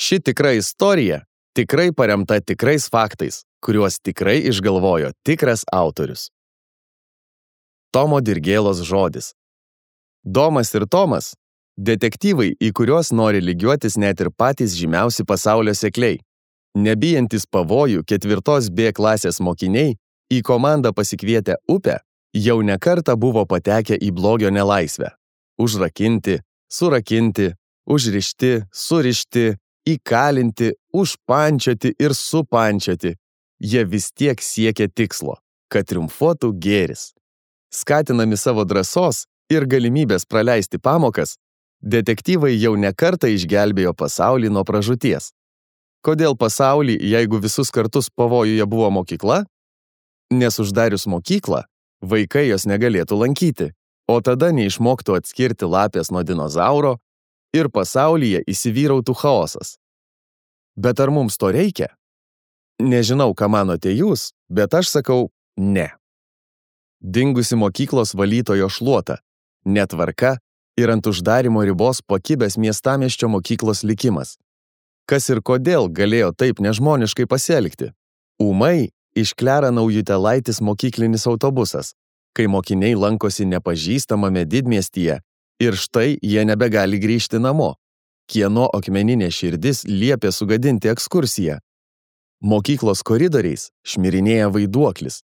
Ši tikra istorija tikrai paremta tikrais faktais, kuriuos tikrai išgalvojo tikras autorius. Tomo Dirgėlos žodis. Domas ir Tomas – detektyvai, į kuriuos nori lygiuotis net ir patys žymiausi pasaulio sekliai. Nebijantis pavojų 4 B klasės mokiniai į komandą pasikvietę upę jau ne kartą buvo patekę į blogio nelaisvę. Užrakinti, surakinti, užrišti, surišti, įkalinti, užpančioti ir supančioti. Jie vis tiek siekia tikslo, kad triumfuotų gėris. Skatinami savo drąsos ir galimybės praleisti pamokas, detektyvai jau ne kartą išgelbėjo pasaulį nuo pražūties. Kodėl pasaulį, jeigu visus kartus pavojuje buvo mokykla? Nes uždarius mokyklą, vaikai jos negalėtų lankyti, o tada neišmoktų atskirti lapės nuo dinozauro ir pasaulyje įsivyrautų chaosas. Bet ar mums to reikia? Nežinau, ką manote jūs, bet aš sakau ne. Dingusi mokyklos valytojo šluota, netvarka ir ant uždarimo ribos pakibęs miestamiesčio mokyklos likimas. Kas ir kodėl galėjo taip nežmoniškai pasielgti? Ūmai išklera Naujutėlaitis mokyklinis autobusas, kai mokiniai lankosi nepažįstamame didmiestyje ir štai jie nebegali grįžti namo. Kieno akmeninė širdis liepė sugadinti ekskursiją? Mokyklos koridoriais šmirinėja vaiduoklis,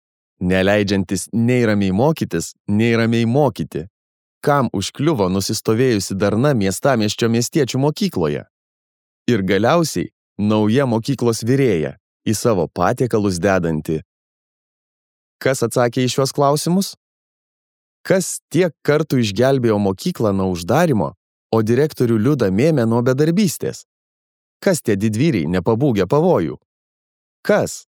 neleidžiantis nei ramiai mokytis, nei ramiai mokyti. Kam užkliuvo nusistovėjusi darna miestamiesčio miestiečių mokykloje? Ir galiausiai nauja mokyklos virėja, į savo patiekalus dedanti. Kas atsakė į šiuos klausimus? Kas tiek kartų išgelbėjo mokyklą nuo uždarimo, o direktorių Liudą Mėmę nuo bedarbystės? Kas tie didvyriai nepabūgę pavojų? Kas?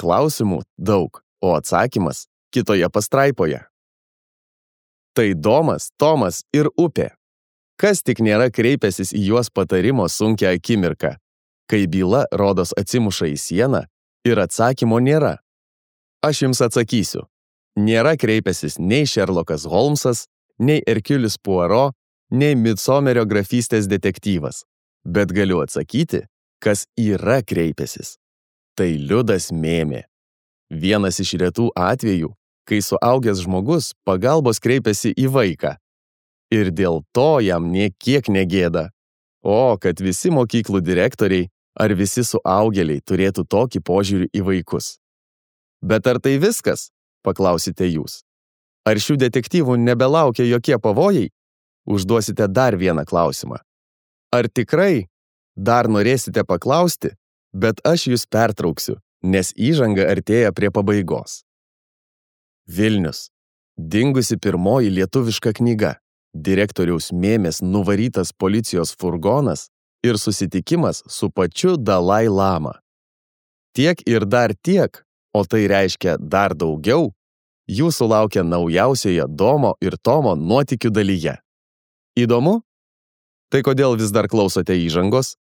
Klausimų daug, o atsakymas kitoje pastraipoje. Tai Domas, Tomas ir upė. Kas tik nėra kreipęsis į juos patarimo sunkią akimirką, kai byla rodos atsimuša į sieną ir atsakymo nėra. Aš jums atsakysiu. Nėra kreipęsis nei Šerlokas Holmsas, nei Erkiulis Puaro, nei Midsomerio grafystės detektyvas. Bet galiu atsakyti, kas yra kreipęsis. Tai Liudas Mėmė. Vienas iš retų atvejų, kai suaugęs žmogus pagalbos kreipiasi į vaiką. Ir dėl to jam nė kiek negėda. O, kad visi mokyklų direktoriai ar visi suaugėliai turėtų tokį požiūrį į vaikus. Bet ar tai viskas? Paklausite jūs. Ar šių detektyvų nebelaukia jokie pavojai? Užduosite dar vieną klausimą. Ar tikrai dar norėsite paklausti, bet aš jūs pertrauksiu, nes įžanga artėja prie pabaigos. Vilnius. Dingusi pirmoji lietuviška knyga. Direktoriaus Mėmės nuvarytas policijos furgonas ir susitikimas su pačiu Dalai Lama. Tiek ir dar tiek, o tai reiškia dar daugiau, jūsų laukia naujausioje Domo ir Tomo nuotykių dalyje. Įdomu? Tai kodėl vis dar klausote įžangos?